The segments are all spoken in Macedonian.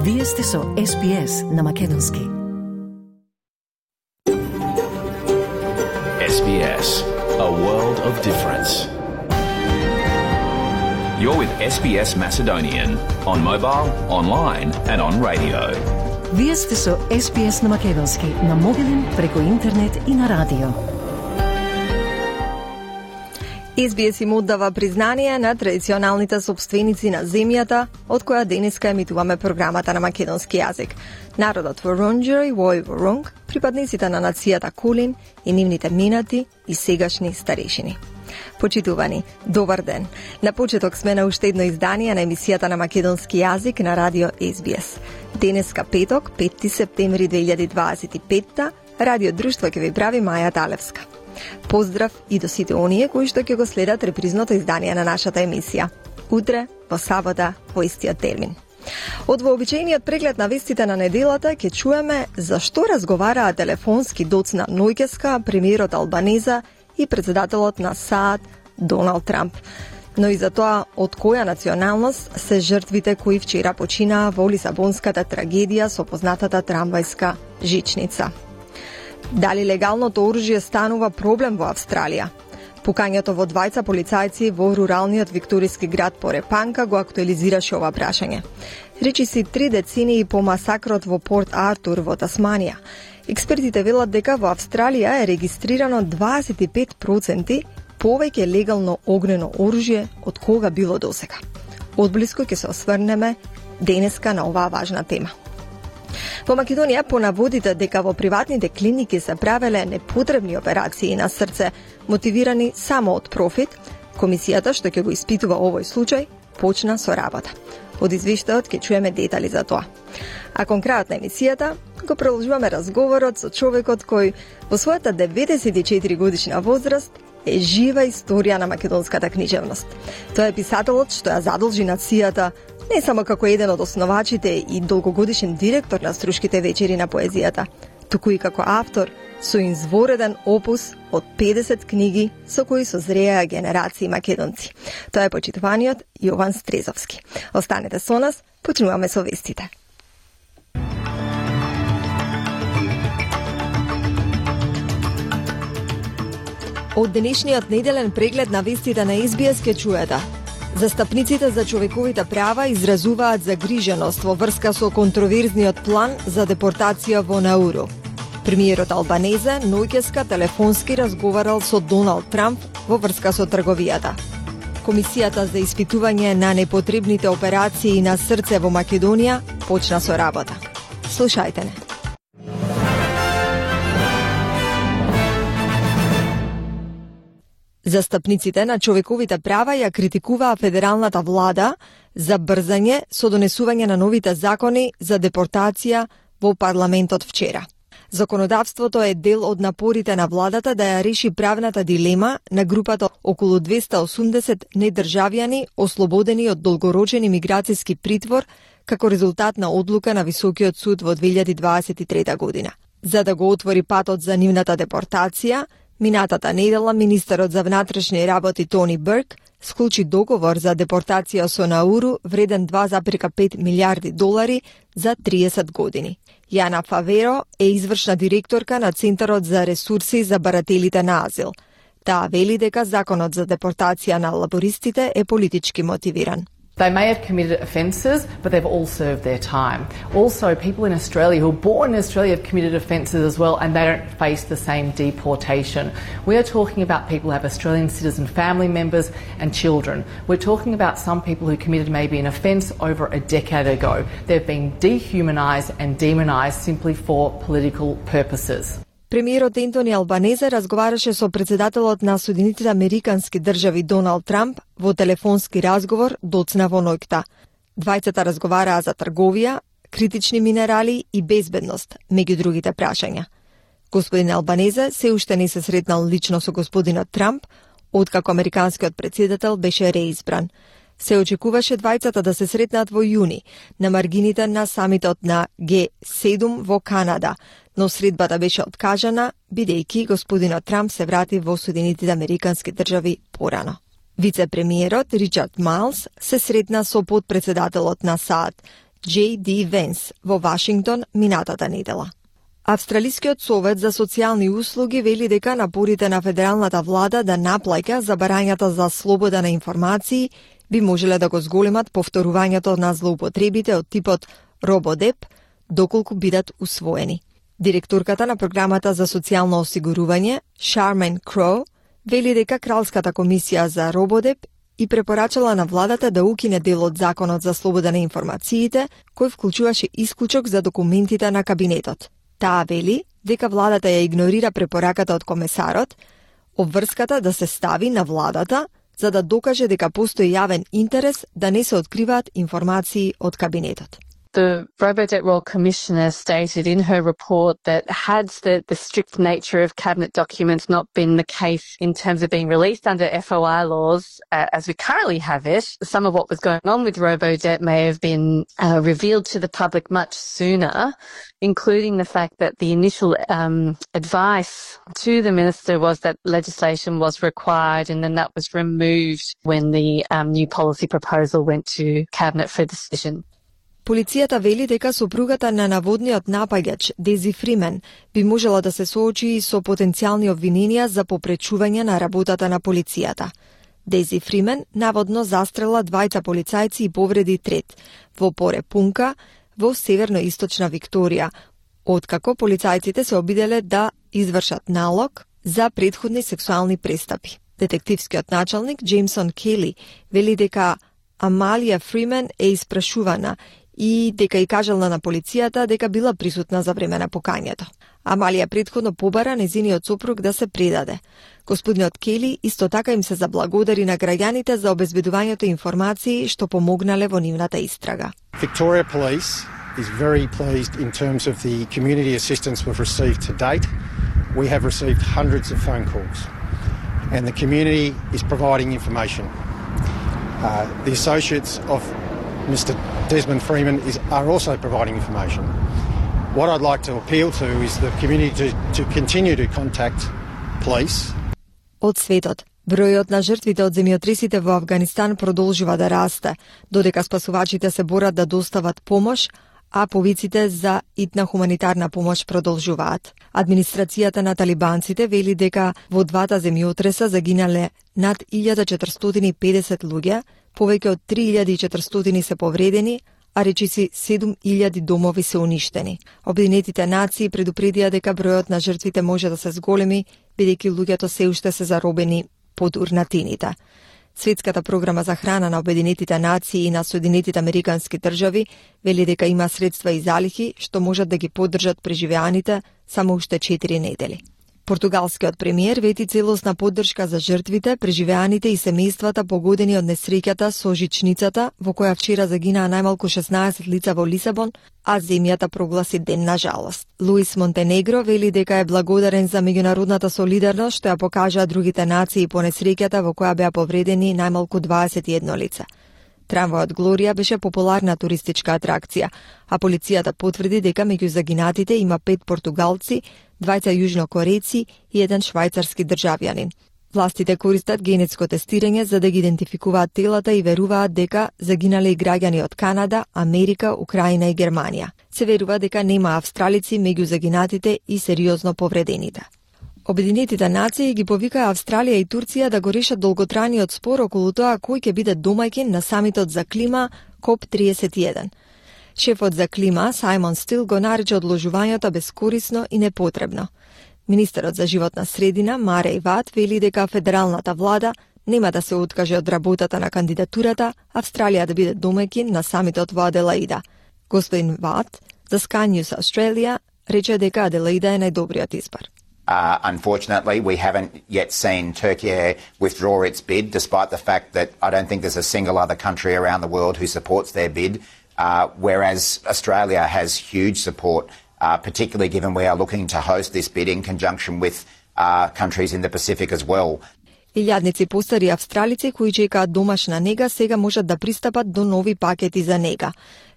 Вие сте со SBS на македонски. SBS, a world of difference. You're with SBS Macedonian on mobile, online and on radio. Вие сте со SBS на македонски на мобилен, преку интернет и на радио. SBS им оддава признание на традиционалните собственици на земјата, од која денеска емитуваме програмата на македонски јазик. Народот Воронџери, Вој Воронг, припадниците на нацијата Кулин и нивните минати и сегашни старешини. Почитувани, добар ден. На почеток сме на уште едно издание на емисијата на македонски јазик на радио SBS. Денеска петок, 5 септември 2025, радио друштво ќе ви прави Маја Талевска. Поздрав и до сите оние кои што ќе го следат репризното издание на нашата емисија. Утре, во сабота, во истиот термин. Од вообичаениот преглед на вестите на неделата ќе чуеме зашто разговараа телефонски доцна ноќеска премиерот Албанеза и председателот на САД Доналд Трамп. Но и за тоа од која националност се жртвите кои вчера починаа во Лисабонската трагедија со познатата трамвајска жичница. Дали легалното оружје станува проблем во Австралија? Пукањето во двајца полицајци во руралниот викториски град Порепанка го актуализираше ова прашање. Речиси 3 децении по масакрот во Порт Артур во Тасманија. Експертите велат дека во Австралија е регистрирано 25% повеќе легално огнено оружје од кога било досега. Одблиску ќе се осврнеме денеска на оваа важна тема. Во Македонија понаводите дека во приватните клиники се правеле непотребни операции на срце, мотивирани само од профит, комисијата што ќе го испитува овој случај почна со работа. Од извештајот ќе чуеме детали за тоа. А кон крајот на емисијата го продолжуваме разговорот со човекот кој во својата 94 годишна возраст е жива историја на македонската книжевност. Тој е писателот што ја задолжи нацијата не само како еден од основачите и долгогодишен директор на Струшките вечери на поезијата, туку и како автор со извореден опус од 50 книги со кои созреа генерации македонци. Тоа е почитуваниот Јован Стрезовски. Останете со нас, почнуваме со вестите. Од денешниот неделен преглед на вестите на SBS ке чуете. Застапниците за човековите права изразуваат загриженост во врска со контроверзниот план за депортација во Науру. Премиерот Албанезе ноќеска телефонски разговарал со Доналд Трамп во врска со трговијата. Комисијата за испитување на непотребните операции на срце во Македонија почна со работа. Слушајте не. Застапниците на човековите права ја критикуваа федералната влада за брзање со донесување на новите закони за депортација во парламентот вчера. Законодавството е дел од напорите на владата да ја реши правната дилема на групата околу 280 недржавјани ослободени од долгорочен имиграцијски притвор како резултат на одлука на Високиот суд во 2023 година. За да го отвори патот за нивната депортација, минатата недела министерот за внатрешни работи Тони Берк склучи договор за депортација со Науру вреден $2,5 милиарди за 30 години. Јана Фаверо е извршна директорка на Центарот за ресурси за барателите на азил. Таа вели дека законот за депортација на лабористите е политички мотивиран. They may have committed offences, but they've all served their time. Also, people in Australia who are born in Australia have committed offences as well, and they don't face the same deportation. We are talking about people who have Australian citizen family members and children. We're talking about some people who committed maybe an offence over a decade ago. They've been dehumanised and demonised simply for political purposes. Премиерот Ентони Албанезе разговараше со председателот на Соединетите Американски држави Доналд Трамп во телефонски разговор доцна во ноќта. Двајцата разговараа за трговија, критични минерали и безбедност, меѓу другите прашања. Господин Албанезе се уште не се сретнал лично со господинот Трамп, откако американскиот претседател беше реизбран. Се очекуваше двајцата да се сретнат во јуни, на маргините на самитот на G7 во Канада, но средбата беше откажана, бидејќи господинот Трамп се врати во Соединетите Американски држави порано. Вице-премиерот Ричард Майлс се сретна со подпредседателот на САД J.D. Vance во Вашингтон минатата недела. Австралискиот совет за социјални услуги вели дека напорите на федералната влада да наплаќа забарањата за слобода на информации би можеле да го зголемат повторувањето на злоупотребите од типот рободеп, доколку бидат усвоени. Директорката на програмата за социјално осигурување, Шармен Кроу, вели дека Кралската комисија за рободеп и препорачала на владата да укине дел од Законот за слобода на информациите, кој вклучуваше исклучок за документите на кабинетот. Таа вели дека владата ја игнорира препораката од комесарот, обврската да се стави на владата за да докаже дека постои јавен интерес да не се откриваат информации од кабинетот. The Robodebt Royal Commissioner stated in her report that had the strict nature of cabinet documents not been the case in terms of being released under FOI laws as we currently have it, some of what was going on with Robodebt may have been revealed to the public much sooner, including the fact that the initial advice to the minister was that legislation was required and then that was removed when the new policy proposal went to cabinet for decision. Полицијата вели дека сопругата на наводниот напаѓач, Дези Фримен, би можела да се соочи и со потенцијални обвиненија за попречување на работата на полицијата. Дези Фримен наводно застрела двајца полицајци и повреди трет во Порепунка, во северно-источна Викторија, откако полицајците се обиделе да извршат налог за претходни сексуални престапи. Детективскиот началник Джеймсон Кели вели дека Амалија Фримен е испрашувана и дека и кажала на полицијата дека била присутна за време на покањето. Амалија претходно побара незиниот сопруг да се предаде. Господинот Кели исто така им се заблагодари на граѓаните за обезбедувањето информации што помогнале во нивната истрага. Victoria Police is very pleased in terms of the community assistance we've received to date. We have received hundreds of phone calls and the community is providing information. The associates of Mr. Desmond Freeman are also providing information. What I'd like to appeal to is the community to continue to contact police. Од светот, бројот на жртвите од земјотресите во Авганистан продолжува да расте, додека спасувачите се борат да достават помош, а повиците за итна хуманитарна помош продолжуваат. Администрацијата на талибанците вели дека во двата земјотреса загинале над 1450 луѓе, повеќе од 3400 се повредени, а речиси 7000 домови се уништени. Обединетите нации предупредија дека бројот на жртвите може да се зголеми, бидејќи луѓето се уште се заробени под урнатините. Светската програма за храна на Обединетите нации и на Соединетите Американски држави вели дека има средства и залихи што можат да ги поддржат преживеаните само уште 4 недели. Португалскиот премиер вети целосна поддршка за жртвите, преживеаните и семејствата погодени од несреќата со жичницата, во која вчера загинаа најмалку 16 лица во Лисабон, а земјата прогласи ден на жалост. Луис Монтенегро вели дека е благодарен за меѓународната солидарност што ја покажаа другите нации по несреќата во која беа повредени најмалку 21 лица. Трамвајот Глорија беше популарна туристичка атракција, а полицијата потврди дека меѓу загинатите има 5 португалци, 2 јужнокорејци и 1 швајцарски државјанин. Властите користат генетско тестирање за да ги идентификуваат телата и веруваат дека загинале и граѓани од Канада, Америка, Украина и Германија. Се верува дека нема австралици меѓу загинатите и сериозно повредените. Обединетите нации ги повикаа Австралија и Турција да го решат долготрајниот спор околу тоа кој ќе биде домаќин на самитот за клима КОП-31. Шефот за клима, Сајмон Стил, го нарече одложувањето бескорисно и непотребно. Министерот за животна средина, Мареј Ват, вели дека федералната влада нема да се откаже од работата на кандидатурата Австралија да биде домаќин на самитот во Аделаида. Господин Ват, за Sky News Australia, рече дека Аделаида е најдобриот избор. Unfortunately, we haven't yet seen Turkey withdraw its bid, despite the fact that I don't think there's a single other country around the world who supports their bid, whereas Australia has huge support, particularly given we are looking to host this bid in conjunction with countries in the Pacific as well. Илјадници постари австралици кои чекаат домашна нега сега можат да пристапат до нови пакети за нега.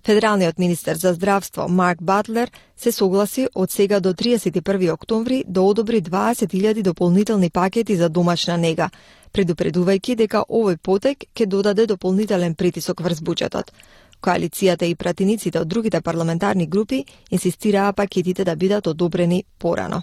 Федералниот министер за здравство Марк Батлер се согласи од сега до 31 октомври да одобри 20.000 дополнителни пакети за домашна нега, предупредувајќи дека овој потек ќе додаде дополнителен притисок врз буџетот. Коалицијата и пратениците од другите парламентарни групи инсистираа пакетите да бидат одобрени порано.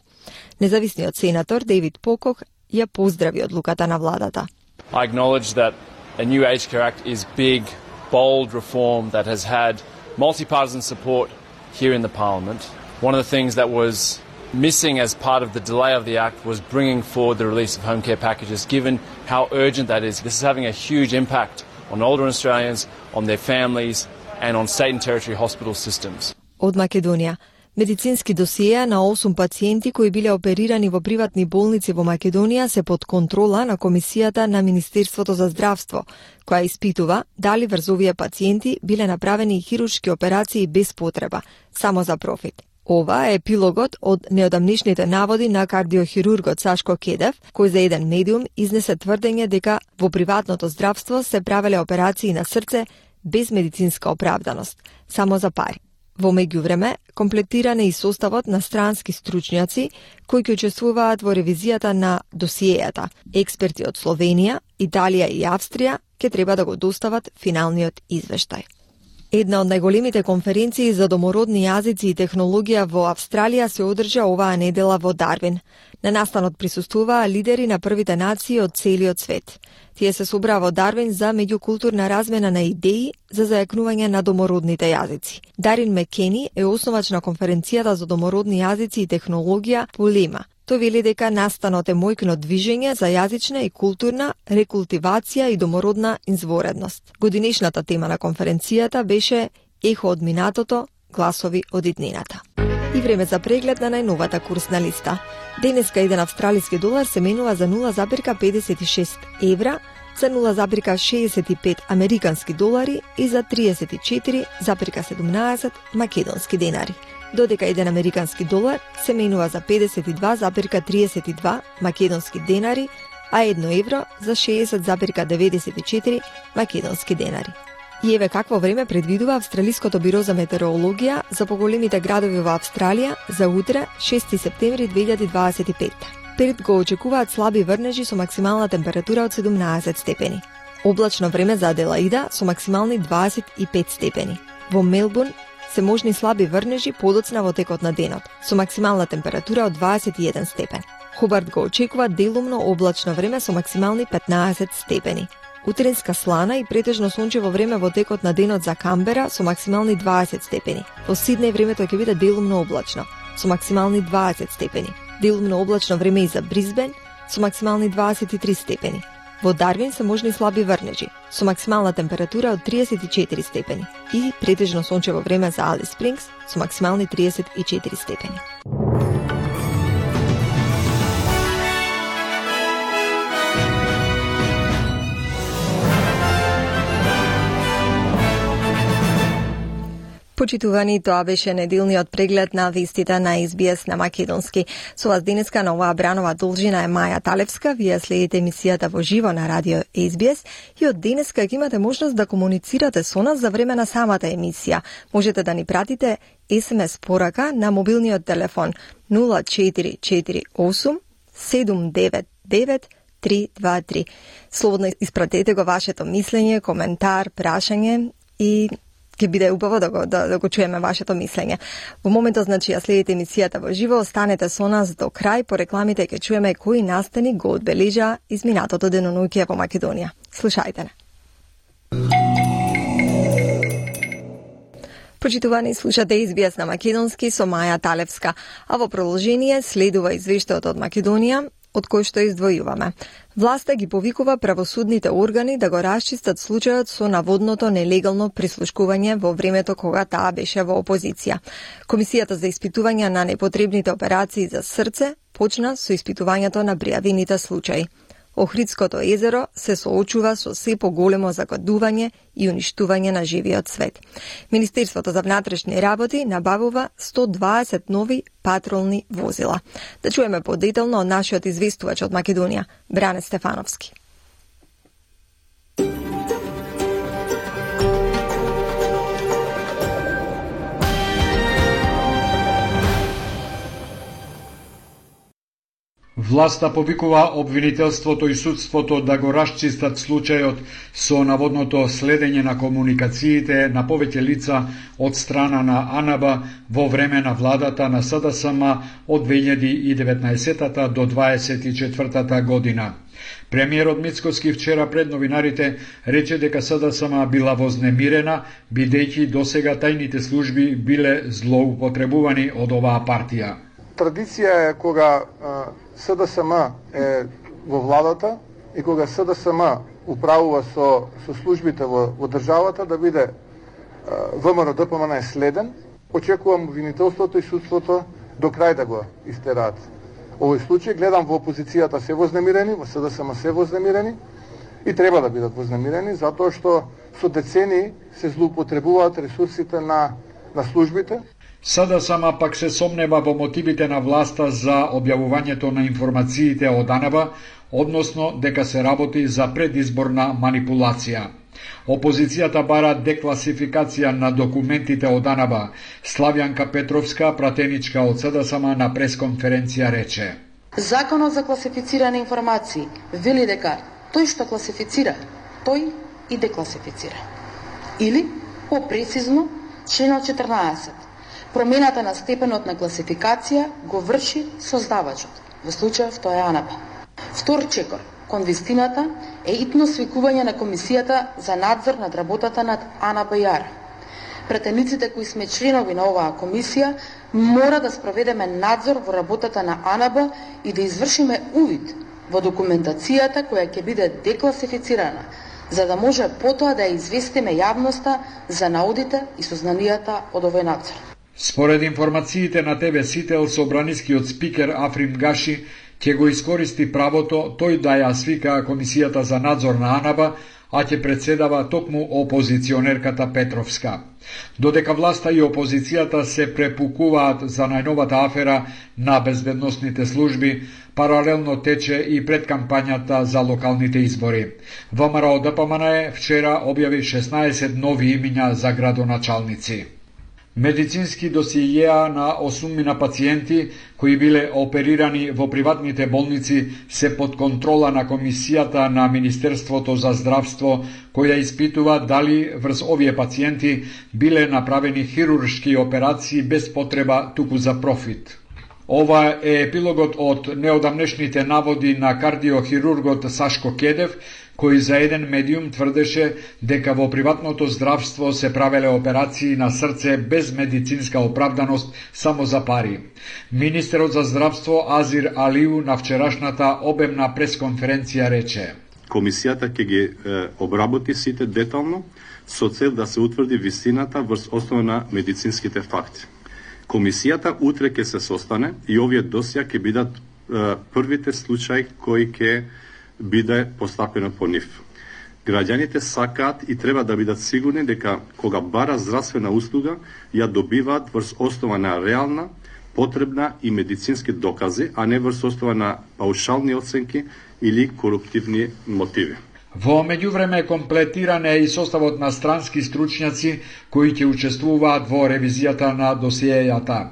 Независниот сенатор Дейвид Покок ја поздрави одлуката на владата. I acknowledge that a new Aged Care Act is big, bold reform that has had multi-partisan support here in the Parliament. One of the things that was missing as part of the delay of the Act was bringing forward the release of home care packages, given how urgent that is. This is having a huge impact on older Australians, on their families and on state and territory hospital systems. Од Македонија. Медицински досиеа на 8 пациенти кои биле оперирани во приватни болници во Македонија се под контрола на Комисијата на Министерството за здравство, која испитува дали врз овие пациенти биле направени хируршки операции без потреба, само за профит. Ова е епилогот од неодамнешните наводи на кардиохирургот Сашко Кедев, кој за еден медиум изнесе тврдење дека во приватното здравство се правеле операции на срце без медицинска оправданост, само за пари. Во меѓувреме, комплетиран е и составот на странски стручњаци кои ќе учествуваат во ревизијата на досиејата. Експерти од Словенија, Италија и Австрија ќе треба да го достават финалниот извештај. Една од најголемите конференции за домородни јазици и технологија во Австралија се одржа оваа недела во Дарвин. На настанот присуствуваа лидери на првите нации од целиот свет. Тие се собраа во Дарвин за меѓукултурна размена на идеи за зајакнување на домородните јазици. Дарин Мекени е основач на конференцијата за домородни јазици и технологија Полема. Тој вели дека настанот е мојкно движење за јазична и културна рекултивација и домородна изворедност. Годинешната тема на конференцијата беше Ехо од минатото, гласови од иднината. И време за преглед на најновата курсна листа. Денеска еден австралиски долар се менува за 0,56 евра, за 0,65 американски долари и за 34,17 македонски денари. Додека еден американски долар се менува за 52,32 македонски денари, а 1 евро за 60,94 македонски денари. И еве какво време предвидува Австралиското биро за метеорологија за поголемите градови во Австралија за утре, 6 септември 2025. Перед го очекуваат слаби врнежи со максимална температура од 17 степени. Облачно време за Аделаида со максимални 25 степени. Во Мелбурн се можни слаби врнежи подоцна во текот на денот, со максимална температура од 21 степен. Хобарт го очекува делумно облачно време со максимални 15 степени. Утринска слана и претежно сончево време во текот на денот за Камбера со максимални 20 степени. Во Сиднеј времето ќе биде делумно облачно, со максимални 20 степени. Делумно облачно време и за Брисбен со максимални 23 степени. Во Дарвин се можни слаби врнежи, со максимална температура од 34 степени. И претежно сончево време за Алис Спрингс со максимални 34 степени. Почитувани, тоа беше неделниот преглед на вестите на SBS на македонски. Со вас денеска на оваа бранова должина е Маја Талевска. Вие следите емисијата во живо на радио SBS и од денеска ќе имате можност да комуницирате со нас за време на самата емисија. Можете да ни пратите SMS порака на мобилниот телефон 0448 799 323. Слободно испратете го вашето мислење, коментар, прашање и ќе биде убаво да го чуеме вашето мислење. Во моментот, значи, ја следите емисијата во живо, останете со нас до крај, по рекламите ќе чуеме кои настани го одбележа изминатото денонуќе во Македонија. Слушајте не. Почитувани, слушате SBS на македонски со Маја Талевска, а во продолжение следува извештајот од Македонија, од кој што издвојуваме. Власта ги повикува правосудните органи да го расчистат случајот со наводното нелегално прислушкување во времето кога таа беше во опозиција. Комисијата за испитување на непотребните операции за срце почна со испитувањето на пријавените случаи. Охридското езеро се соочува со се поголемо загадување и уништување на живиот свет. Министерството за внатрешни работи набавува 120 нови патролни возила. Да чуеме подетално од нашиот известувач од Македонија, Бране Стефановски. Власта повикува обвинителството и судството да го расчистат случајот со наводното следење на комуникациите на повеќе лица од страна на АНБ во време на владата на СДСМ од 2019 до 2024 година. Премиерот Мицкоски вчера пред новинарите рече дека СДСМ била вознемирена, бидејќи досега тајните служби биле злоупотребувани од оваа партија. Традиција е кога СДСМ е во владата и кога СДСМ управува со службите во државата да биде ВМРО ДПМН е следен. Очекувам обвинителството и судството до крај да го истераат. Овој случај гледам во опозицијата се вознемирени, во СДСМ се вознемирени и треба да бидат вознемирени затоа што со децени се злоупотребуваат ресурсите на службите. СДСМ пак се сомнева во мотивите на власта за објавувањето на информациите од АНБ, односно дека се работи за предизборна манипулација. Опозицијата бара декласификација на документите од АНБ. Славјанка Петровска, пратеничка од СДСМ, на пресконференција рече: Законот за класифицирани информации вели дека тој што класифицира, тој и декласифицира. Или, попрецизно, членот 14. Промената на степенот на класификација го врши создавачот, во случајов тоа е АНБ. Втор чекор кон вистината е итно свикување на Комисијата за надзор над работата над АНБ-ар. Претениците кои сме членови на оваа комисија мора да спроведеме надзор во работата на АНБ и да извршиме увид во документацијата која ќе биде декласифицирана, за да може потоа да ја известиме јавноста за наудите и сознанијата од овој надзор. Според информациите на ТВ Сител, собранискиот спикер Африм Гаши ќе го искористи правото тој да ја свика Комисијата за надзор на АНБ, а ќе председава токму опозиционерката Петровска. Додека власта и опозицијата се препукуваат за најновата афера на безбедносните служби, паралелно тече и предкампањата за локалните избори. ВМРО ДПМН вчера објави 16 нови имиња за градоначалници. Медицински досиеја на 8 пациенти кои биле оперирани во приватните болници се под контрола на Комисијата на Министерството за здравство, која испитува дали врз овие пациенти биле направени хируршки операции без потреба туку за профит. Ова е епилогот од неодамнешните наводи на кардиохирургот Сашко Кедев, кој за еден медиум тврдеше дека во приватното здравство се правеле операции на срце без медицинска оправданост само за пари. Министерот за здравство Азир Алиу на вчерашната обемна пресконференција рече: Комисијата ќе ги обработи сите детално со цел да се утврди вистината врз основа на медицинските факти. Комисијата утре ќе се состане и овие досија ќе бидат првите случаи кои ќе биде постапено по нив. Граѓаните сакаат и треба да бидат сигурни дека кога бара здравствена услуга, ја добиваат врз основа на реална, потребна и медицински докази, а не врз основа на паушални оценки или коруптивни мотиви. Во меѓувреме комплетиран е и составот на странски стручњаци кои ќе учествуваат во ревизијата на досиејата.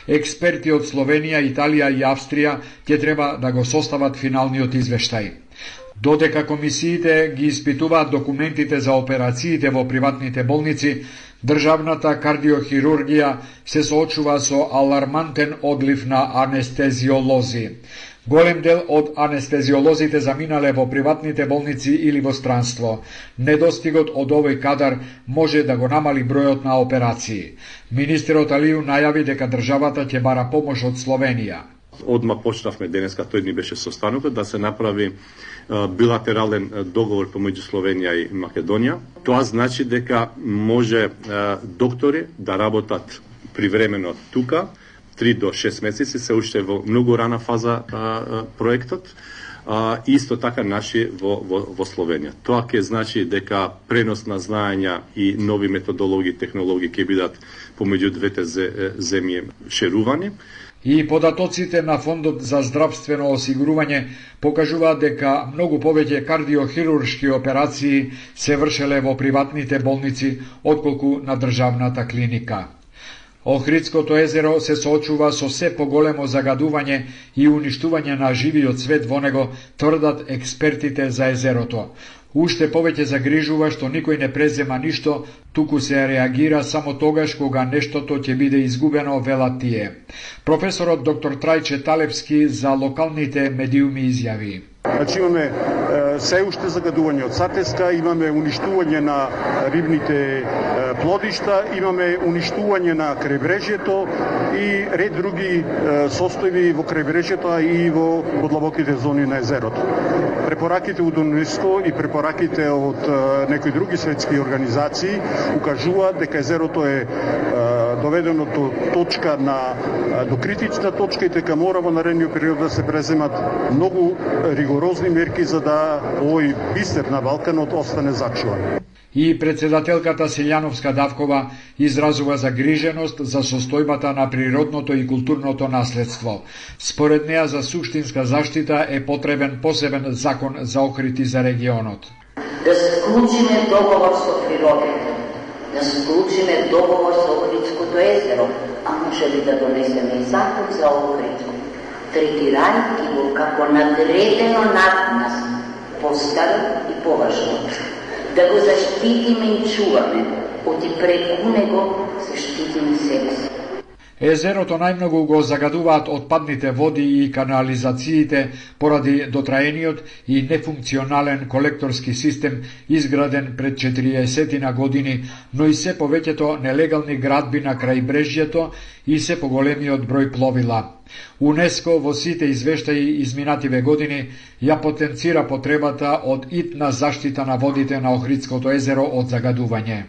Експерти од Словенија, Италија и Австрија ќе треба да го состават финалниот извештај. Додека комисиите ги испитуваат документите за операциите во приватните болници, државната кардиохирургија се соочува со алармантен одлив на анестезиолози. Голем дел од анестезиолозите заминале во приватните болници или во странство. Недостигот од овој кадар може да го намали бројот на операции. Министерот Алиу најави дека државата ќе бара помош од Словенија. Одма почнавме денеска, тој ни беше состанокот, да се направи билатерален договор помеѓу Словенија и Македонија. Тоа значи дека може доктори да работат привремено тука, 3 до 6 месеци, се уште во многу рана фаза проектот, исто така наши во Словенија. Тоа ќе значи дека пренос на знаења и нови методологии, технологии ќе бидат помеѓу двете земји шерувани. И податоците на Фондот за здравствено осигурување покажуваат дека многу повеќе кардиохируршки операции се вршеле во приватните болници отколку на државната клиника. Охридското езеро се соочува со се поголемо загадување и уништување на живиот свет во него, тврдат експертите за езерото. Уште повеќе загрижува што никој не презема ништо, туку се реагира само тогаш кога нештото ќе биде изгубено, велат тие. Професорот доктор Трајче Талевски за локалните медиуми изјави. Значи имаме се уште загадување од сатеска, имаме уништување на рибните плодишта, имаме уништување на крајбрежјето и ред други состојби во крајбрежјето и во подлабоките зони на езерото. Препораките од УНЕСКО и препораките од некои други светски организации укажуваат дека езерото е доведено до точка до критична точка и дека мора во наредниот период да се преземат многу ригорозни мерки за да овој бисер на Балканот остане зачуван. И председателката Силјановска Давкова изразува загриженост за состојбата на природното и културното наследство. Според неа за суштинска заштита е потребен посебен закон за Охрид и за регионот. Да склучиме договор со природата, да склучиме договор со Охридското езеро, а може ли да донесеме и закон за Охридско, третирајќи го како надредено над нас, постаро и поважно. Да го заштитиме и чуваме, оти преку него заштитиме себе си. Езерото најмногу го загадуваат отпадните води и канализациите поради дотраениот и нефункционален колекторски систем изграден пред 40 години, но и се повеќето нелегални градби на крајбрежјето и се поголемиот број пловила. УНЕСКО во сите извештаи изминативе години ја потенцира потребата од итна заштита на водите на Охридското езеро од загадување.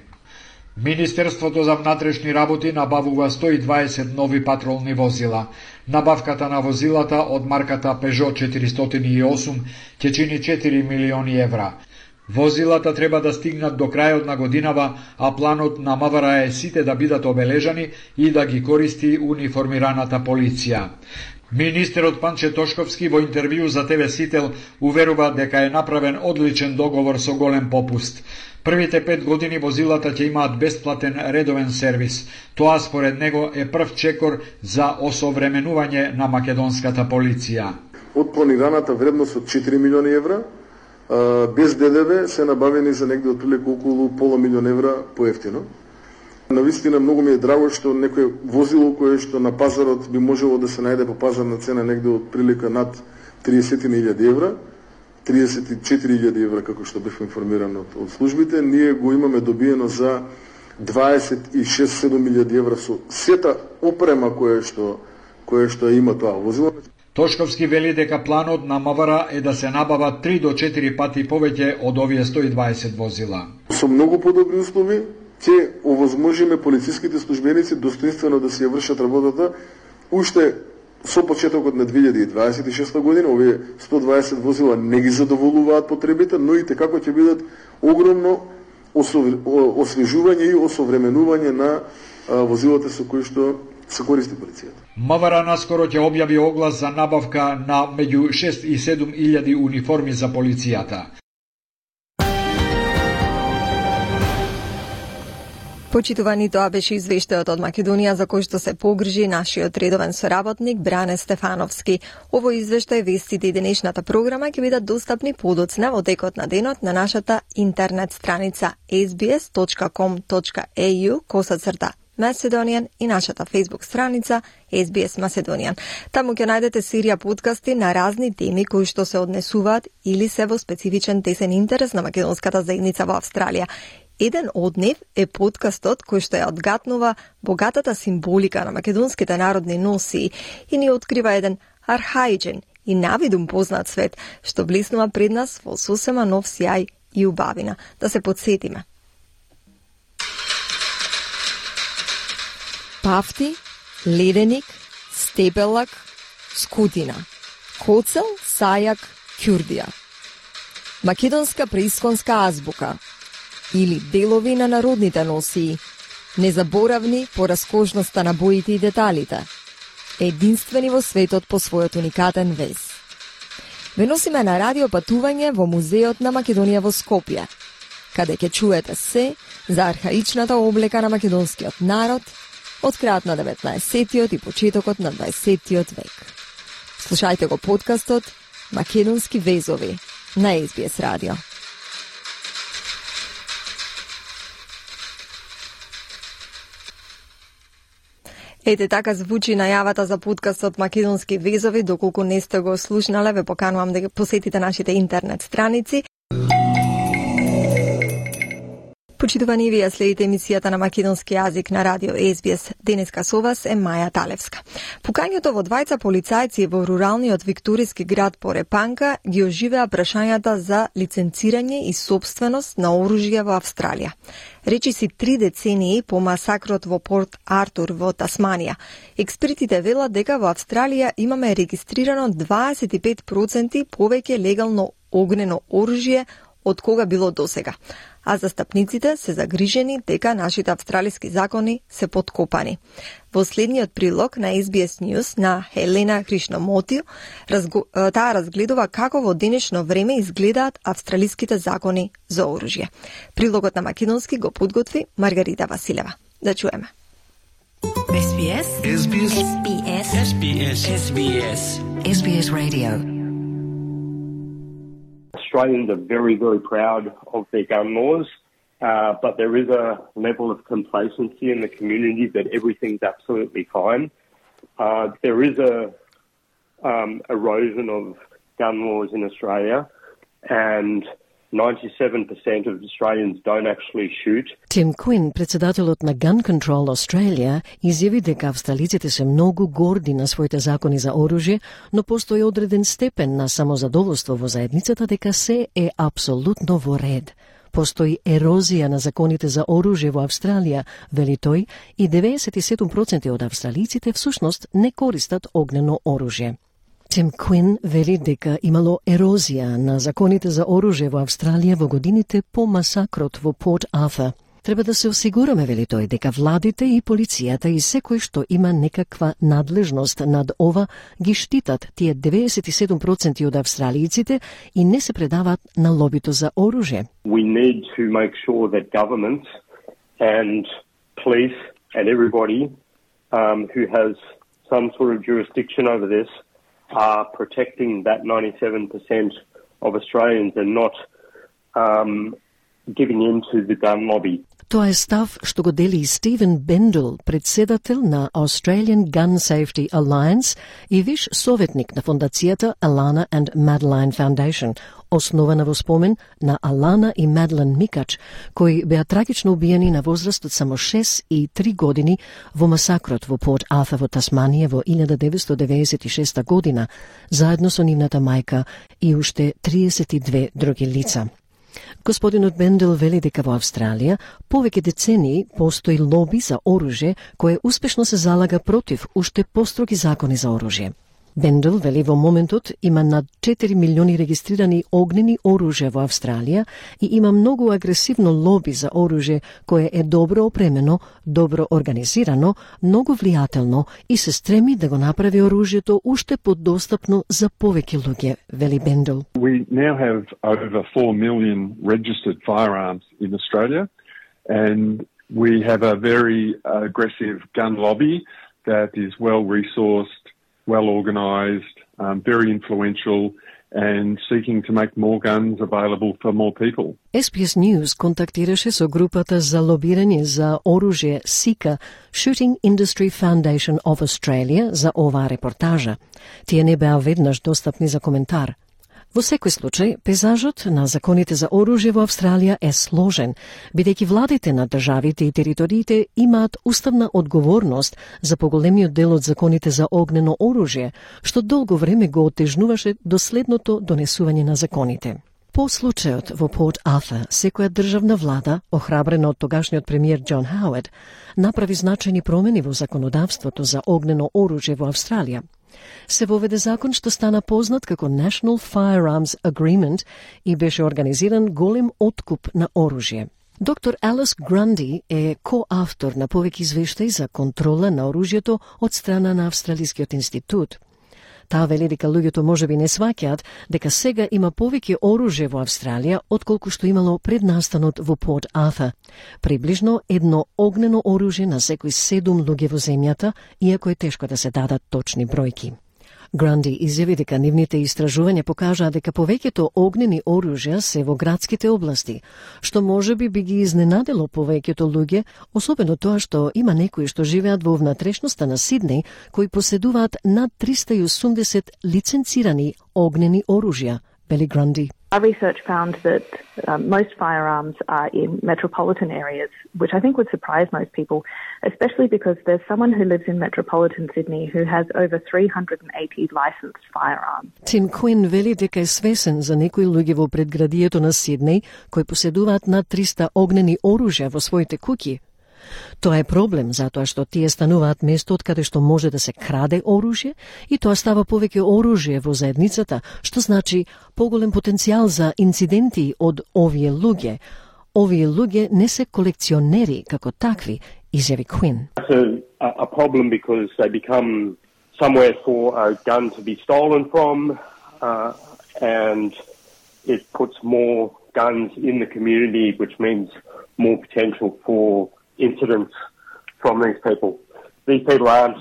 Министерството за внатрешни работи набавува 120 нови патролни возила. Набавката на возилата од марката Peugeot 408 ќе чини 4 милиони евра. Возилата треба да стигнат до крајот на годинава, а планот на МВР е сите да бидат обележани и да ги користи униформираната полиција. Министерот Панче Тошковски во интервју за ТВ Сител уверува дека е направен одличен договор со голем попуст. Првите 5 години возилата ќе имаат бесплатен редовен сервис. Тоа според него е прв чекор за осовременување на македонската полиција. Од планираната вредност од 4 милиони евра, без ДДВ се набавени за негде отприлика околу пола милион евра поевтино. Навистина многу ми е драго што некој возило кое што на пазарот би можело да се најде по пазарна цена негде отприлика над 30.000 евра, 34.000 евра како што бев информиран од службите, ние го имаме добиено за 26-7.000 евра со сета опрема кое што има тоа возило. Тошковски вели дека планот на МВР е да се набава 3 до 4 пати повеќе од овие 120 возила. Со многу подобри услови ќе овозможиме полициските службеници достоинствено да си ја вршат работата уште со почетокот на 2026 година. Овие 120 возила не ги задоволуваат потребите, но и како ќе бидат огромно освежување и осовременување на возилата со кои што се користи полицијата. МВР наскоро ќе објави оглас за набавка на меѓу 6 и 7 илјади униформи за полицијата. Почитувани, тоа беше извештајот од Македонија за кој што се погрижи нашиот редовен соработник Бране Стефановски. Овој извештај, вестите и денешната програма ќе бидат достапни подоцна во текот на денот на нашата интернет страница sbs.com.au/Macedonian и нашата Facebook страница SBS Macedonian. Таму ќе најдете серија подкасти на разни теми кои што се однесуваат или се во специфичен тесен интерес на македонската заедница во Австралија. Еден од нив е подкастот кој што ја одгатнува богатата символика на македонските народни носии и ни открива еден архаичен и навидум познат свет што блеснува пред нас во сосема нов сјај и убавина. Да се подсетиме. Пафти, леденик, степелак, скутина, коцел, сајак, ќурдија. Македонска преисконска азбука или делови на народните носии, незаборавни по раскошноста на боите и деталите, единствени во светот по својот уникатен вез. Ве носиме на радио патување во Музеот на Македонија во Скопје, каде ќе чуете се за архаичната облека на македонскиот народ, од крајот на 19-тиот и почетокот на 20-тиот век. Слушајте го подкастот Македонски везови на SBS радио. Ете така звучи најавата за подкастот Македонски везови. Доколку не сте го слушнале, ве поканувам да посетите нашите интернет страници. Почитувани, вие следите емисијата на македонски јазик на радио SBS. Денеска со вас е Маја Талевска. Пукањето во двајца полицајци во руралниот викториски град Порепанка ги оживеа прашањата за лиценцирање и собственост на оружје во Австралија. Речиси 3 децении по масакрот во Порт Артур во Тасманија. Експертите велат дека во Австралија имаме регистрирано 25% повеќе легално огнено оружје од кога било досега. А застапниците се загрижени дека нашите австралиски закони се подкопани. Во следниот прилог на SBS News на Хелена Кришномотио, таа разгледува како во денешно време изгледаат австралиските закони за оружје. Прилогот на македонски го подготви Маргарита Василева. Да чуеме. SBS SBS SBS SBS SBS SBS Radio. Australians are very, very proud of their gun laws, but there is a level of complacency in the community that everything's absolutely fine. There is a erosion of gun laws in Australia, and 97% of Australians don't actually shoot. Tim Quinn, председателот на Gun Control Australia, изјави дека австралиците се многу горди на своите закони за оружје, но постои одреден степен на самозадоволство во заедницата дека се е апсолутно во ред. Постои ерозија на законите за оружје во Австралија, вели тој, и 97% од австралиците всушност не користат огнено оружје. Tim Quinn вели дека имало ерозија на законите за оружје во Австралија во годините по масакрот во Порт Артур. Треба да се осигураме, вели тој, дека владите и полицијата и секој што има некаква надлежност над ова ги штитат тие 97% од австралијците и не се предават на лобито за оружје. We need to make sure that government and police and everybody who has some sort of jurisdiction over this are protecting that 97% of Australians and not giving in to the gun lobby. Тоа е став што го дели Стивен Бендел, председател на Australian Gun Safety Alliance и виш советник на фондацијата Alana and Madeline Foundation, основана во спомен на Алана и Маделин Микач, кои беа трагично убиени на возраст од само 6 и 3 години во масакрот во Порт Артур во Тасманија во 1996 година, заедно со нивната мајка и уште 32 други лица. Господинот Бендел вели дека во Австралија повеќе децении постои лоби за оружје кое успешно се залага против уште построги закони за оружје. Бендел вели во моментот има над 4 милиони регистрирани огнени оружја во Австралија и има многу агресивно лоби за оружје кое е добро опремено, добро организирано, многу влијателно и се стреми да го направи оружјето уште подостапно за повеќе луѓе, вели Бендел. We now have over 4 million registered firearms in Australia, and we have a very aggressive gun lobby that is well resourced, well organised, very influential, and seeking to make more guns available for more people. SBS News контактираше со групата за лобирање за оружје SICA, Shooting Industry Foundation of Australia, за оваа репортажа. Тие не беа веднаш достапни за коментар. Во секој случај, пейзажот на законите за оружје во Австралија е сложен, бидејќи владите на државите и териториите имаат уставна одговорност за поголемиот дел од законите за огнено оружје, што долго време го отежнуваше доследното донесување на законите. По случајот во Порт Артур, секоја државна влада, охрабрена од тогашниот премиер Џон Хауард, направи значајни промени во законодавството за огнено оружје во Австралија. Се воведе закон што стана познат како National Firearms Agreement и беше организиран голем откуп на оружје. Доктор Алис Гранди е коавтор на повеќе извештаи за контрола на оружјето од страна на Австралискиот институт. Таа вели дека луѓето можеби не сваќаат дека сега има повеќе оружје во Австралија отколку што имало пред настанот во Порт Артур. Приближно едно огнено оружје на секој 7 луѓе во земјата, иако е тешко да се дадат точни бројки. Гранди изјави дека нивните истражувања покажаа дека повеќето огнени оружја се во градските области, што можеби би ги изненадело повеќето луѓе, особено тоа што има некои што живеат во внатрешноста на Сиднеј кои поседуваат над 380 лиценцирани огнени оружја, вели Гранди. Our research found that most firearms are in metropolitan areas, which I think would surprise most people, especially because there's someone who lives in metropolitan Sydney who has over 380 licensed firearms. Тим Куин вели дека е свесен за некои луѓе во предградието на Сиднеј кои поседуваат над 300 огнени оружја во своите куќи. Тоа е проблем затоа што тие стануваат место од каде што може да се краде оружје и тоа става повеќе оружје во заедницата, што значи поголем потенцијал за инциденти од овие луѓе. Овие луѓе не се колекционери како такви, изјави Куин. It's a problem because they become somewhere for a gun to be stolen from, and it puts more guns in the community, which means more potential for incidents from these people. These people aren't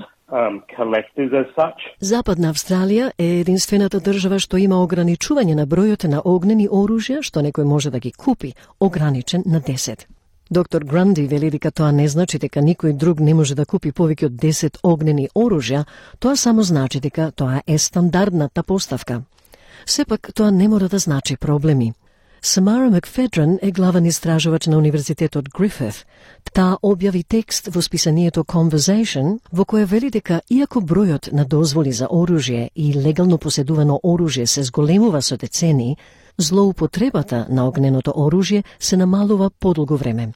collectors as such. Западна Австралија е единствената држава што има ограничување на бројот на огнени оружја што некој може да ги купи, ограничен на 10. Доктор Гранди вели дека тоа не значи дека никој друг не може да купи повеќе од 10 огнени оружја, тоа само значи дека тоа е стандардната поставка. Сепак тоа не мора да значи проблеми. Самара Макфедрен е главен истражувач на Универзитетот Грифит. Таа објави текст во списанието Conversation, во кој вели дека иако бројот на дозволи за оружје и легално поседувано оружје се зголемува со децени, злоупотребата на огненото оружје се намалува подолго време.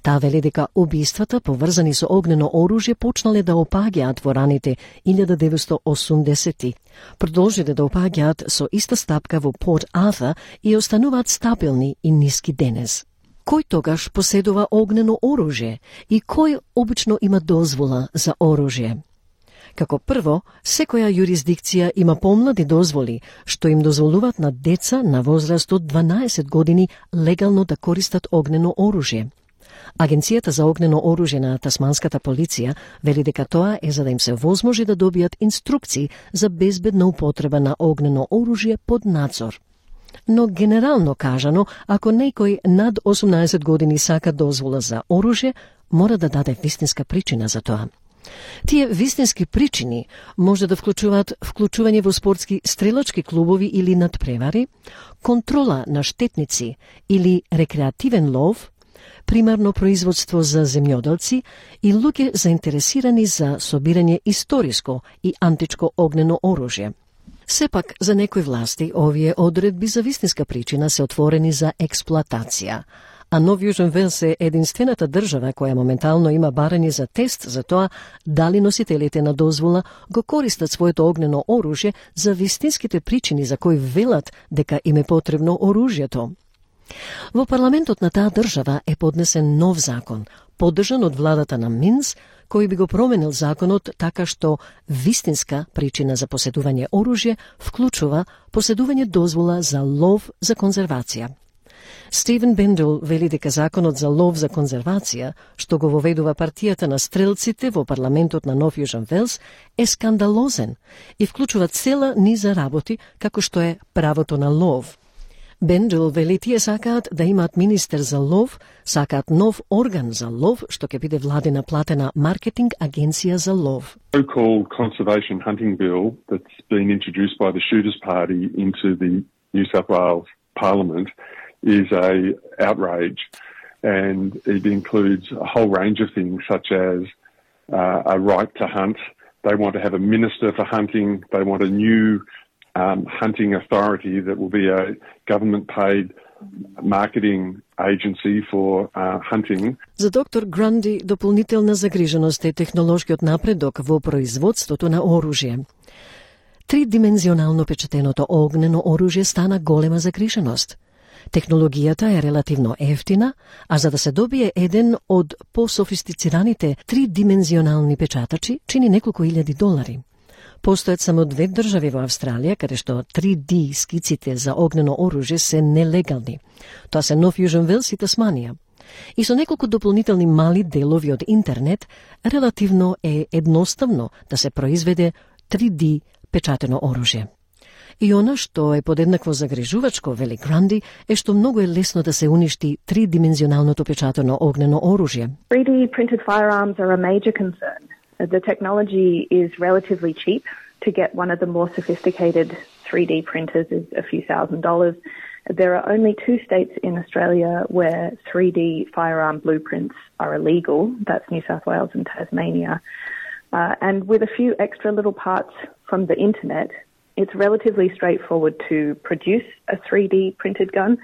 Таа вели дека убиствата поврзани со огнено оружје почнале да опаѓаат во раните 1980-ти. Продолжиле да опаѓаат со иста стапка во Порт Артур и остануваат стабилни и ниски денес. Кој тогаш поседува огнено оружје и кој обично има дозвола за оружје? Како прво, секоја јурисдикција има помлади дозволи, што им дозволуваат на деца на возраст од 12 години легално да користат огнено оружје. Агенцијата за огнено оружје на тасманската полиција вели дека тоа е за да им се возможи да добијат инструкции за безбедна употреба на огнено оружје под надзор. Но генерално кажано, ако некој над 18 години сака дозвола за оружје, мора да даде вистинска причина за тоа. Тие вистински причини може да вклучуваат вклучување во спортски стрелачки клубови или надпревари, контрола на штетници или рекреативен лов, примарно производство за земјоделци и луѓе заинтересирани за собирање историско и античко огнено оружје. Сепак, за некои власти, овие одредби за вистинска причина се отворени за експлоатација, а Нов Јужен Велс е единствената држава која моментално има барање за тест за тоа дали носителите на дозвола го користат своето огнено оружје за вистинските причини за кои велат дека им е потребно оружјето. Во парламентот на таа држава е поднесен нов закон, поддржан од владата на Минс, кој би го променил законот така што вистинска причина за поседување оружје вклучува поседување дозвола за лов за конзервација. Стивен Бендел вели дека законот за лов за конзервација, што го воведува партијата на стрелците во парламентот на Нов Јужен Велс, е скандалозен и вклучува цела низа работи како што е правото на лов. Бендел вели тие сакаат да имаат министер за лов, сакаат нов орган за лов, што ќе биде владина платена маркетинг агенција за лов. So-called conservation hunting bill that's been introduced by the Shooters Party into the New South Wales Parliament is a outrage, and it includes a whole range of things such as a right to hunt. They want to have a minister for hunting. They want a new hunting authority that will be a government-paid marketing agency for hunting. За доктор Гранди дополнителна загриженост е технолошкиот напредок во производството на оружје. Тридимензионално печатеното огнено оружје стана голема загриженост. Технологијата е релативно ефтина, а за да се добие еден од пософистицираните тридимензионални печатачи, чини неколку илјади долари. Постојат само 2 држави во Австралија каде што 3D скиците за огнено оружје се нелегални. Тоа се Нов Јужен Велс и Тасманија. И со неколку дополнителни мали делови од интернет, релативно е едноставно да се произведе 3D печатено оружје. И она што е подеднакво загрижувачко, вели Гранди, е што многу е лесно да се уништи тридимензионалното печатено огнено оружје. 3D printed firearms are a major concern. The technology is relatively cheap. To get one of the more sophisticated 3D printers is a few $1,000s. There are only 2 states in Australia where 3D firearm blueprints are illegal. That's New South Wales and Tasmania. And with a few extra little parts from the internet, it's relatively straightforward to produce a 3D printed gun.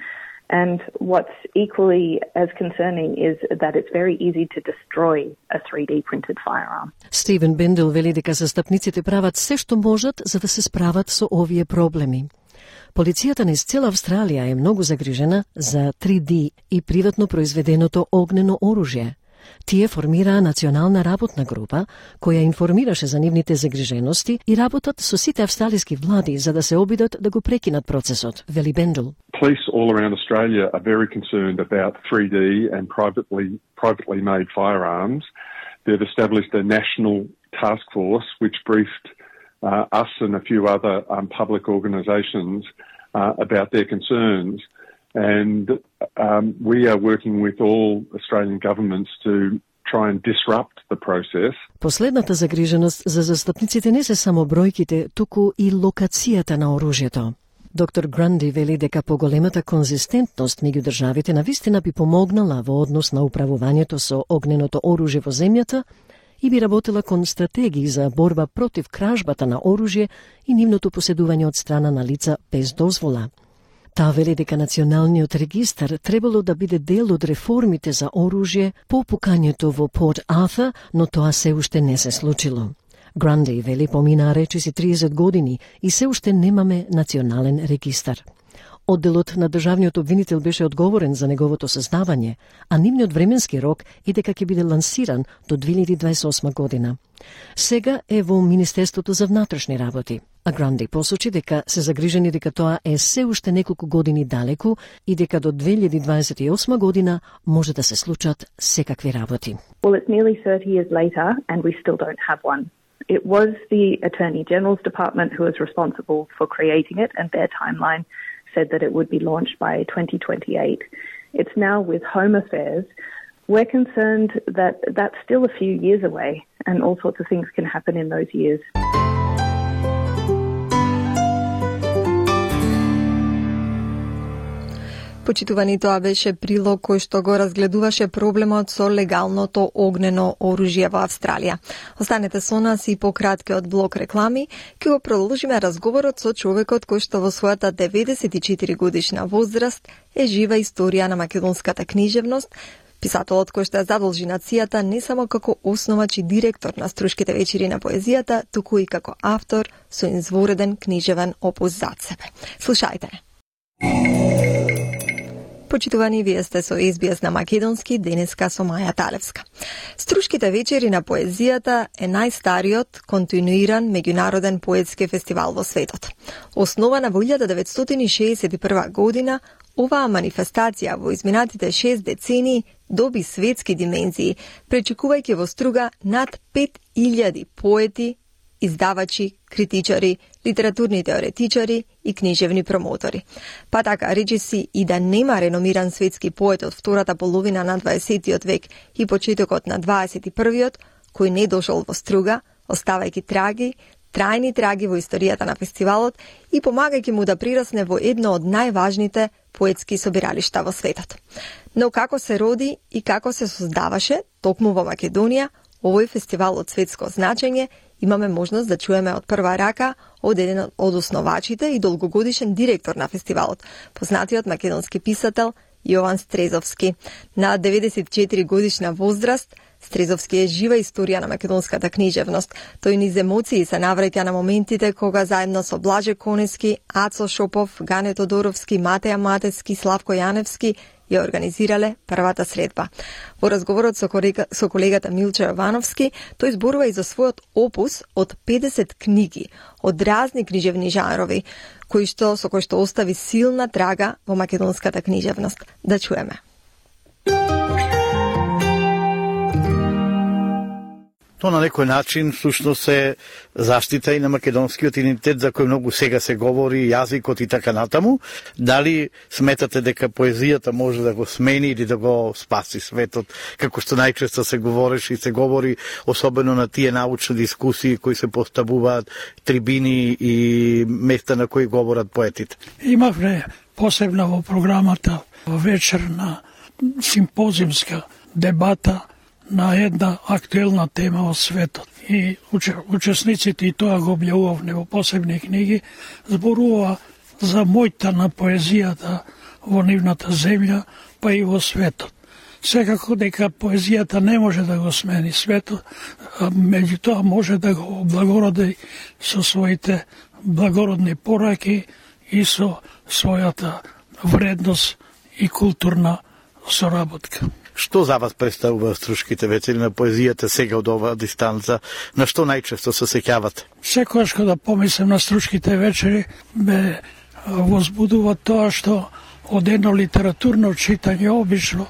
And what's equally as concerning is that it's very easy to destroy a 3D printed firearm. Стивен Бендел вели дека застапниците прават се што можат за да се справат со овие проблеми. Полицијата низ цела Австралија е многу загрижена за 3D и приватно произведеното огнено оружје. Тие формираа национална работна група која информираше за нивните загрижености и работат со сите австралиски влади за да се обидат да го прекинат процесот, вели Бендел. Police all around Australia are very concerned about 3D and privately made firearms. They've established a national task force which briefed us and a few other public organisations about their concerns. And we are working with all Australian governments to try and disrupt the process. Последната загриженост за застапниците не се само бројките, туку и локацијата на оружјето. Доктор Гранди вели дека поголемата конзистентност меѓу државите навистина би помогнала во однос на управувањето со огненото оружје во земјата и би работела кон стратегии за борба против кражбата на оружје и нивното поседување од страна на лица без дозвола. Таа вели дека националниот регистар требало да биде дел од реформите за оружје по пукањето во Порт Артур, но тоа се уште не се случило. Гранди вели поминаа речиси 30 години и се уште немаме национален регистар. Одделот на државниот обвинител беше одговорен за неговото создавање, а нивниот временски рок е дека ќе биде лансиран до 2028 година. Сега е во Министерството за внатрешни работи, а Гранди посочи дека се загрижени дека тоа е се уште неколку години далеку и дека до 2028 година може да се случат секакви работи. Well, it's nearly 30 years later and we still don't have one. It was the Attorney General's Department who was responsible for creating it, and their timeline said that it would be launched by 2028. It's now with Home Affairs. We're concerned that that's still a few years away and all sorts of things can happen in those years. Почитувани, тоа беше прилог кој што го разгледуваше проблемот со легалното огнено оружје во Австралија. Останете со нас и по краткиот блок реклами, ќе го продолжиме разговорот со човекот кој што во својата 94 годишна возраст е жива историја на македонската книжевност, писателот кој што ја задолжи нацијата не само како основач и директор на Струшките вечери на поезијата, туку и како автор со извореден книжевен опус зад себе. Слушајте. Почитувани, вие сте со SBS на македонски, денеска со Маја Талевска. Струшките вечери на поезијата е најстариот континуиран меѓународен поетски фестивал во светот. Основана во 1961 година, оваа манифестација во изминатите 6 децении доби светски димензии, пречекувајќи во Струга над 5000 поети, издавачи, критичари, литературни теоретичари и книжевни промотори. Па така, речиси и да нема реномиран светски поет од втората половина на 20. век и почетокот на 21. кој не дошол во Струга, оставајќи трајни траги во историјата на фестивалот и помагајќи му да прирасне во едно од најважните поетски собиралишта во светот. Но како се роди и како се создаваше токму во Македонија овој фестивал од светско значење, имаме можност да чуеме од прва рака од еден од основачите и долгогодишен директор на фестивалот, познатиот македонски писател Јован Стрезовски. На 94 годишна возраст, Стрезовски е жива историја на македонската книжевност. Тој низ емоции се навраќа на моментите кога заедно со Блаже Конески, Ацо Шопов, Гане Тодоровски, Матеја Матевски, Славко Јаневски ја организирале првата средба. Во разговорот со колегата Милчо Јовановски, тој зборува и за својот опус од 50 книги од разни книжевни жанрови, со кој што остави силна трага во македонската книжевност. Да чуеме. То на некој начин всушност е заштита и на македонскиот идентитет за кој многу сега се говори, јазикот и така натаму. Дали сметате дека поезијата може да го смени или да го спаси светот, како што најчесто се говореше и се говори, особено на тие научни дискусии кои се поставуваат, трибини и места на кои говорат поетите? Имавме посебна во програмата вечерна симпозиумска дебата на една актуелна тема од светот. И учесниците, и тоа го објавувавме во посебни книги, зборува за моќта на поезијата во нивната земја, па и во светот. Секако дека поезијата не може да го смени светот, меѓутоа може да го облагороди со своите благородни пораки и со својата вредност и културна соработка. Што за вас представува Струшките вечери на поезијата сега од оваа дистанца? На што најчесто се сеќавате? Секогаш кога помислам на Струшките вечери, ме возбудува тоа што од едно литературно читање обично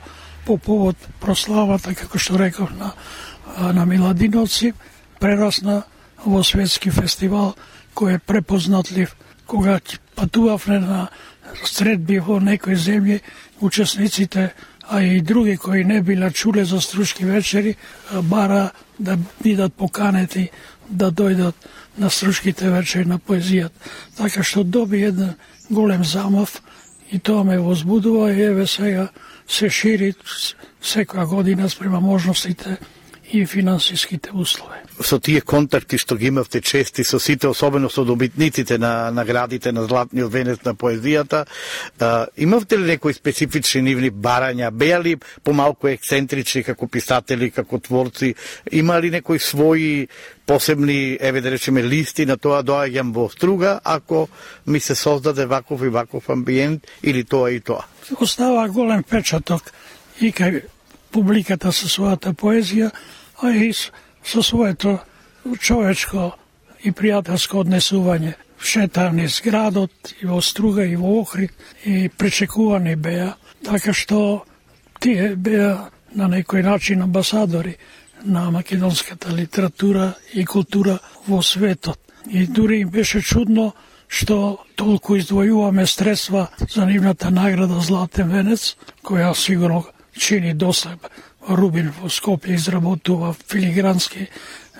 по повод прославата, како што реков, на Миладиновци, прерасна во светски фестивал кој е препознатлив. Кога патувавме на средби во некои земји, учесниците, а и други кои не биле чуле за Струшки вечери, бара да бидат поканети да дојдат на Струшките вечери на поезијата. Така што доби еден голем замав и тоа ме возбудува и еве сега се шири секоја година спрема можностите и финансиските услови. Со тие контакти што ги имавте чести со сите, особено со добитниците на наградите на Златниот венец на поезијата, имавте ли некои специфични нивни барања? Беа ли помалку ексцентрични како писатели, како творци? Има ли некои своји посебни, еве да речеме, листи на тоа доаѓам во Струга, ако ми се создаде ваков и ваков амбиент, или тоа и тоа? Остава голем печаток и кај публиката со својата поезија, а и со своето човечко и пријателско однесување. Шетање низ градот и во Струга и во Охрид и пречекувани беа, така што тие беа на некој начин амбасадори на македонската литература и култура во светот. И дури им беше чудно што толку издвојуваме средства за нивната награда Златен венец, која сигурно чини доста. Рубин во Скопје изработува филигрански,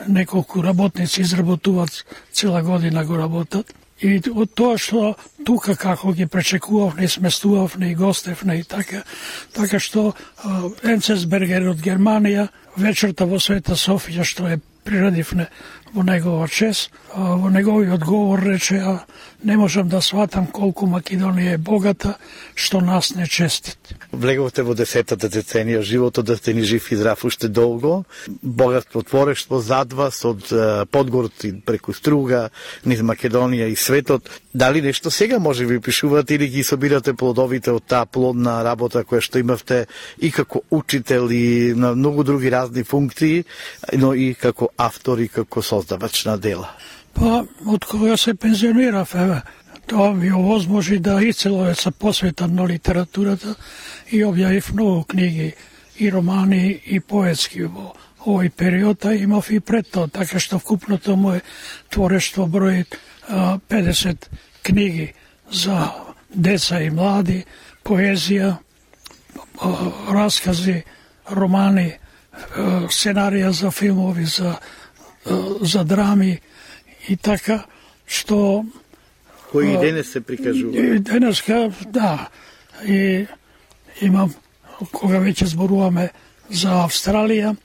неколку работници изработуваат, цела година го работат. И од тоа што тука како ги пречекувавме и сместувавме и гостевне и така што Енцесбергер од Германија, вечерта во Света Софија што е приредивне во негова чест, во неговиот говор рече, не можам да сватам колку Македонија е богата, што нас не честит. Влеговте во 10-та деценија животот да сте ни жив и здрав уште долго. Богатство творештво зад вас од Подгорци преку Струга, низ Македонија и светот. Дали нешто сега може ви пишувате или ги собирате плодовите од таа плодна работа која што имавте и како учител и на многу други разни функции, но и како автор и како создавач на дела? Па, од кога се пензионирав, тоа ми овозможи да и цело се посветам на литературата и објавив многу книги, и романи, и поетски во овој период, а имав и пред тоа, така што вкупното моје творештво брои 50 книги за деца и млади, поезија, раскази, романи, сценарија за филмови, за драми и така, што кои и денес се прикажува. И денеска, да. И имам, кога веќе зборуваме за Австралија,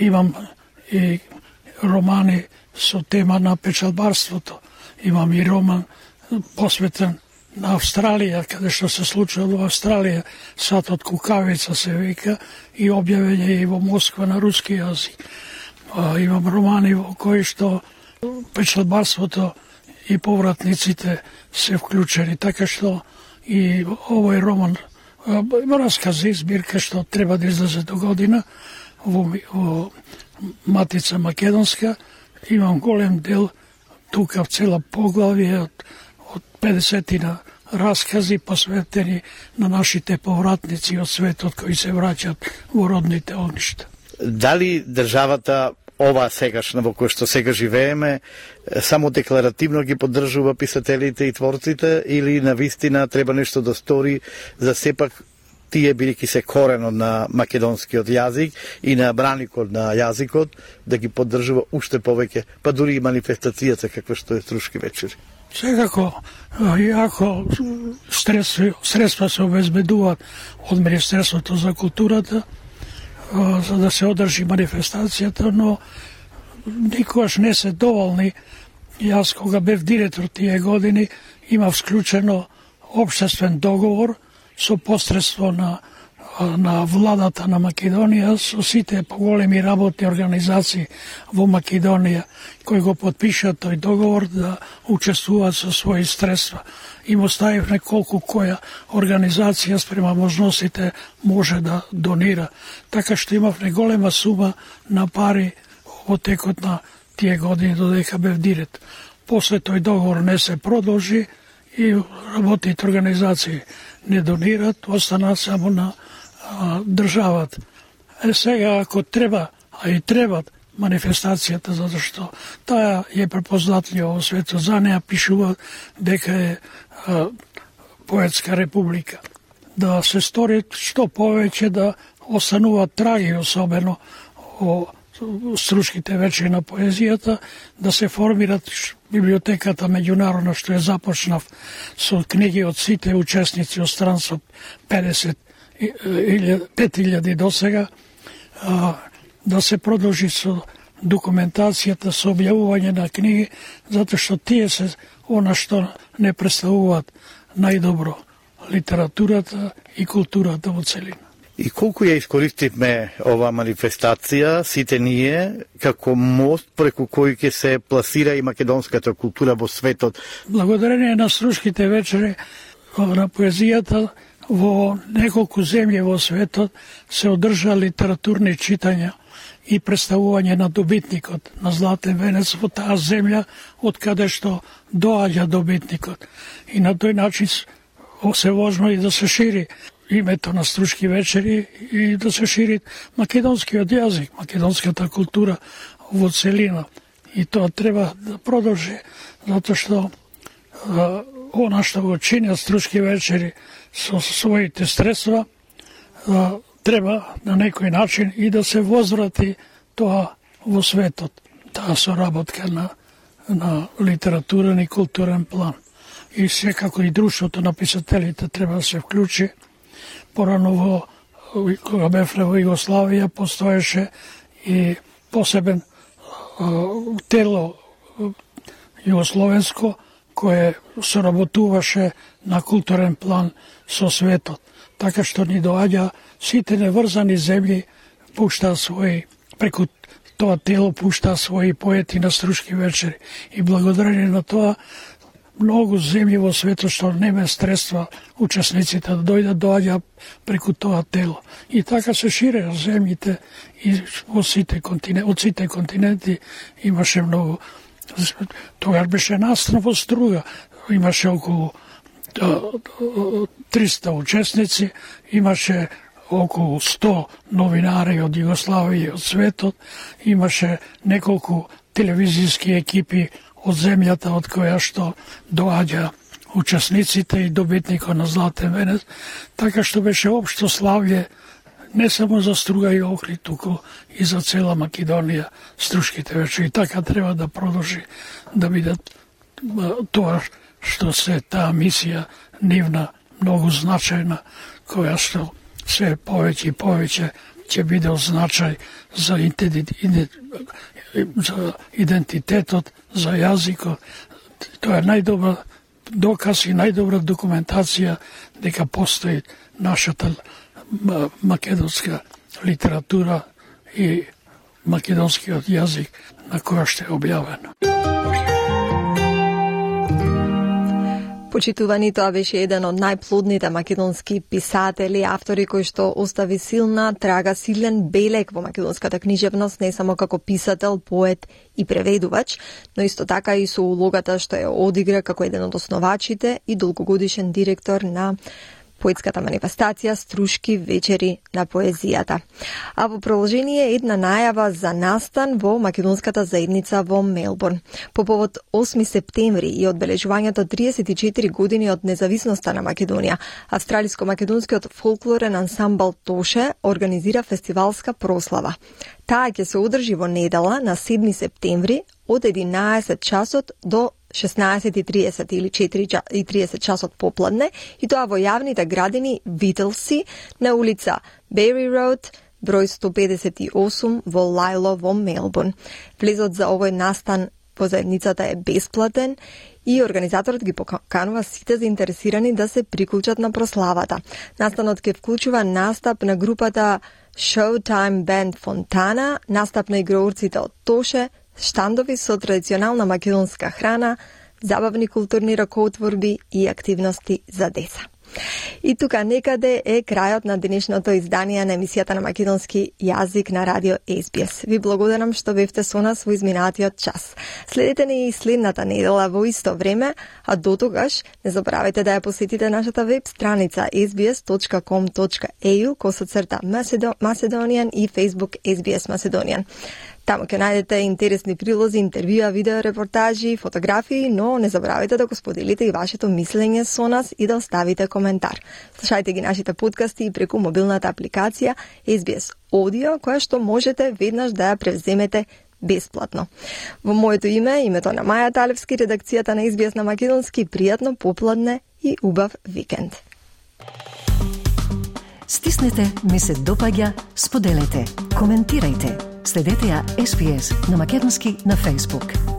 имам и романи со тема на печалбарството. Имам и роман посветен на Австралија, каде што се случува во Австралија, Сатот Кукавица се вика, и објавење и во Москва на руски јазик. Имам романи во кои што печалбарството и повратниците се вклучени, така што и овој роман раскази, збирка што треба да излезе до година во Матица Македонска. Имам голем дел тука, цела поглавие од 50 раскази посветени на нашите повратници од светот кои се враќаат во родните огништа. Дали државата ова сегашна во која што сега живееме само декларативно ги поддржува писателите и творците или навистина треба нешто да стори за сепак тие бидејќи се коренот на македонскиот јазик и на браникот на јазикот да ги поддржува уште повеќе, па дури и манифестацијата каква што е Струшки вечери? Секако, иако средства се обезбедуваат од Министерството за културата за да се одржи манифестацијата, но никогаш не се доволни. Јас кога бев директор тие години имав склучено општествен договор со посредство на владата на Македонија, со сите поголеми работни организации во Македонија кои го подпишат тој договор да учествуваат со своји средства. Им оставив неколку која организација спрема можностите може да донира. Така што имав неголема сума на пари во текот на тие години додека бев директор. После тој договор не се продолжи и работните организации не донират, останат само на државата. Сега ако треба, а и требат манифестацијата, затоа што таа е препознатлива во светот, за неа пишува дека е поетска република. Да се стори што повеќе, да остануваат траги, особено о Струшките вечери на поезијата, да се формират библиотеката меѓународна што е започнав со книги од сите учесници од странство 5000 до сега, да се продолжи со документацијата, со објавување на книги, затоа што тие се она што не представуваат најдобро литературата и културата во целина. И колку ја искористивме ова манифестација, сите ние, како мост преку кој ќе се пласира и македонската култура во светот? Благодарение на Струшките вечери на поезијата, во неколку земји во светот се одржа литературни читања и представување на добитникот на Златен венец во таа земја од каде што доаѓа добитникот. И на тој начин се возможно и да се шири името на Струшки вечери и да се шири македонскиот јазик, македонската култура во целина. И тоа треба да продолжи, затоа што она што го чинат Струшки вечери со своите средства, треба на некој начин и да се возврати тоа во светот, таа соработка на литературен и културен план. И секако и друштвото на писателите треба да се вклучи. Порано кога бевме во Југославија, постоеше и посебен тело југословенско кое соработуваше на културен план со светот. Така што ни доаѓа сите неврзани земји, пушта своји, преку тоа тело пушта своји поети на Струшки вечери. И благодарение на тоа, многу земји во светот што нема средства учесниците да доаѓа преку тоа тело. И така се шире земјите и од сите континенти имаше многу. Тогаш беше настан во Струга, имаше околу 300 учесници, имаше околу 100 новинари од Југославија и од светот, имаше неколку телевизијски екипи од земјата од која што доаѓа учесниците и добитникот на Златен венец, така што беше општо славје не само за Струга и Охрид, туку и за цела Македонија Струшките вечери. Така треба да продолжи да бидат тоа што се таа мисија нивна многу значајна, која што се повеќе и повеќе ќе биде од значај за идентитетот, за јазикот. Тоа е најдобар доказ и најдобра документација дека постои нашата македонска литература и македонскиот јазик на која што е објавено. Почитувани, тоа беше еден од најплодните македонски писатели, автори кои што остави силна трага, силен белег во македонската книжевност, не само како писател, поет и преведувач, но исто така и со улогата што ја одигра како еден од основачите и долгогодишен директор на поетската манифестација Струшки вечери на поезијата. А во продолжение една најава за настан во македонската заедница во Мелбурн. По повод 8 септември и одбележувањето 34 години од независноста на Македонија, австралиско-македонскиот фолклорен ансамбл Тоше организира фестивалска прослава. Таа ќе се одржи во недела на 7 септември од 11 часот до 16:30 или 4:30 часот попладне, и тоа во јавните градини Вителси на улица Бери Роуд, број 158 во Лајло во Мелбурн. Влезот за овој настан во заедницата е бесплатен и организаторот ги поканува сите заинтересирани да се приклучат на прославата. Настанот ќе вклучува настап на групата Showtime Band Fontana, настап на играурците од Тоше, штандови со традиционална македонска храна, забавни културни ракоотворби и активности за деца. И тука некаде е крајот на денешното издание на емисијата на македонски јазик на радио SBS. Ви благодарам што бевте со нас во изминатиот час. Следете ни и следната недела во исто време, а до тогаш не заборавајте да ја посетите нашата веб страница sbs.com.au/Macedonian и Facebook SBS Macedonian. Таму ќе најдете интересни прилози, интервјуа, видео, репортажи, фотографии, но не заборавајте да го споделите и вашето мислење со нас и да оставите коментар. Слушајте ги нашите подкасти и преку мобилната апликација SBS Audio, која што можете веднаш да ја превземете бесплатно. Во моето име, името на Маја Талевски, редакцијата на SBS на македонски, пријатно попладне и убав викенд. Стиснете, ми се допаѓа, споделете, коментирајте. Следете ја SBS на македонски на Facebook.